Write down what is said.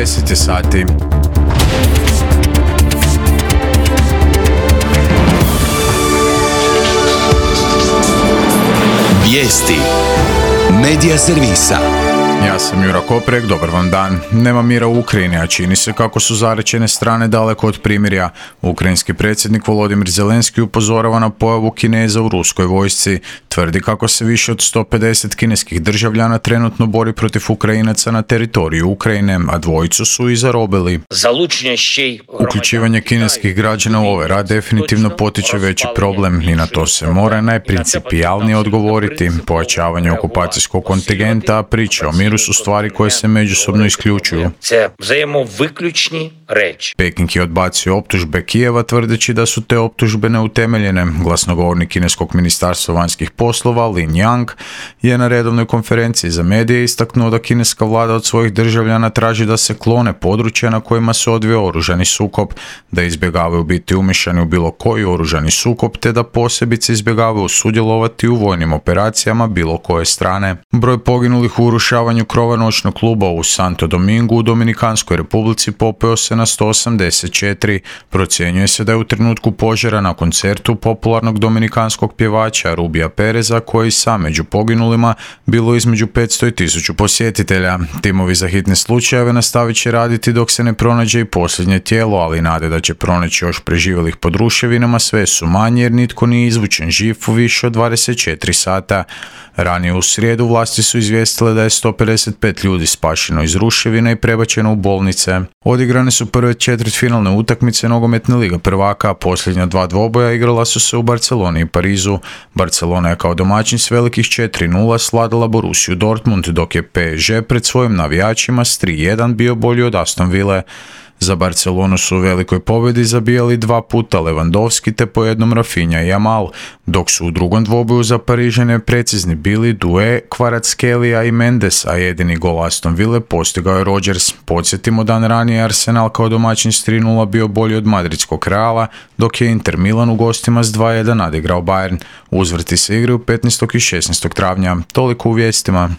10 sati. Vijesti Medija servisa. Ja sam Jura Koprek, dobar vam dan. Nema mira u Ukrajini, a čini se kako su zarečene strane daleko od primirja. Ukrajinski predsjednik Volodimir Zelenski upozorava na pojavu Kineza u ruskoj vojsci. Tvrdi kako se više od 150 kineskih državljana trenutno bori protiv Ukrajinaca na teritoriju Ukrajine, a dvojicu su i zarobili. Uključivanje kineskih građana u ovaj rad definitivno potiče veći problem i na to se mora najprincipijalnije odgovoriti. Pojačavanje okupacijskog kontingenta, a priče o miru su stvari koje se međusobno isključuju. Peking je odbacio optužbe Kijeva tvrdeći da su te optužbe neutemeljene. Glasnogovornik kineskog ministarstva vanjskih poslova Lin Yang je na redovnoj konferenciji za medije istaknuo da kineska vlada od svojih državljana traži da se klone područja na kojima se odvija oružani sukob, da izbjegavaju biti umiješani u bilo koji oružani sukob, te da posebice izbjegavaju sudjelovati u vojnim operacijama bilo koje strane. Broj poginulih u urušavanju krova noćnog kluba u Santo Domingu u Dominikanskoj republici popeo se na 184. Procjenjuje se da je u trenutku požara na koncertu popularnog dominikanskog pjevača Rubija Pereza, koji sam među poginulima, bilo između 500 i 1000 posjetitelja. Timovi za hitne slučajeve nastavit će raditi dok se ne pronađe i posljednje tijelo, ali nade da će pronaći još preživjelih pod ruševinama sve su manje jer nitko nije izvučen živ u više od 24 sata. Ranije u srijedu vlasti su izvijestile da je 155 ljudi spašeno iz ruševina i prebačeno u bolnice. Odigrane su prve četvrtfinalne utakmice nogometne lige prvaka, a posljednja dva dvoboja igrala su se u Barceloni i Parizu. Barcelona je kao domaćin s velikih 4-0 sladila Borussiju Dortmund, dok je PSG pred svojim navijačima s 3-1 bio bolji od Aston Ville. Za Barcelonu su u velikoj pobjedi zabijali 2 puta Lewandowski te po jednom Rafinha i Yamal, dok su u drugom dvoboju za Parižane precizni bili Doué, Kvaratskhelia i Mendes, a jedini gol Aston Ville postigao je Rodgers. Podsjetimo, dan ranije Arsenal kao domaćin s 3-0 bio bolji od madridskog Reala, dok je Inter Milan u gostima s 2-1 nadigrao Bayern. Uzvrti se igraju 15. i 16. travnja. Toliko u vijestima.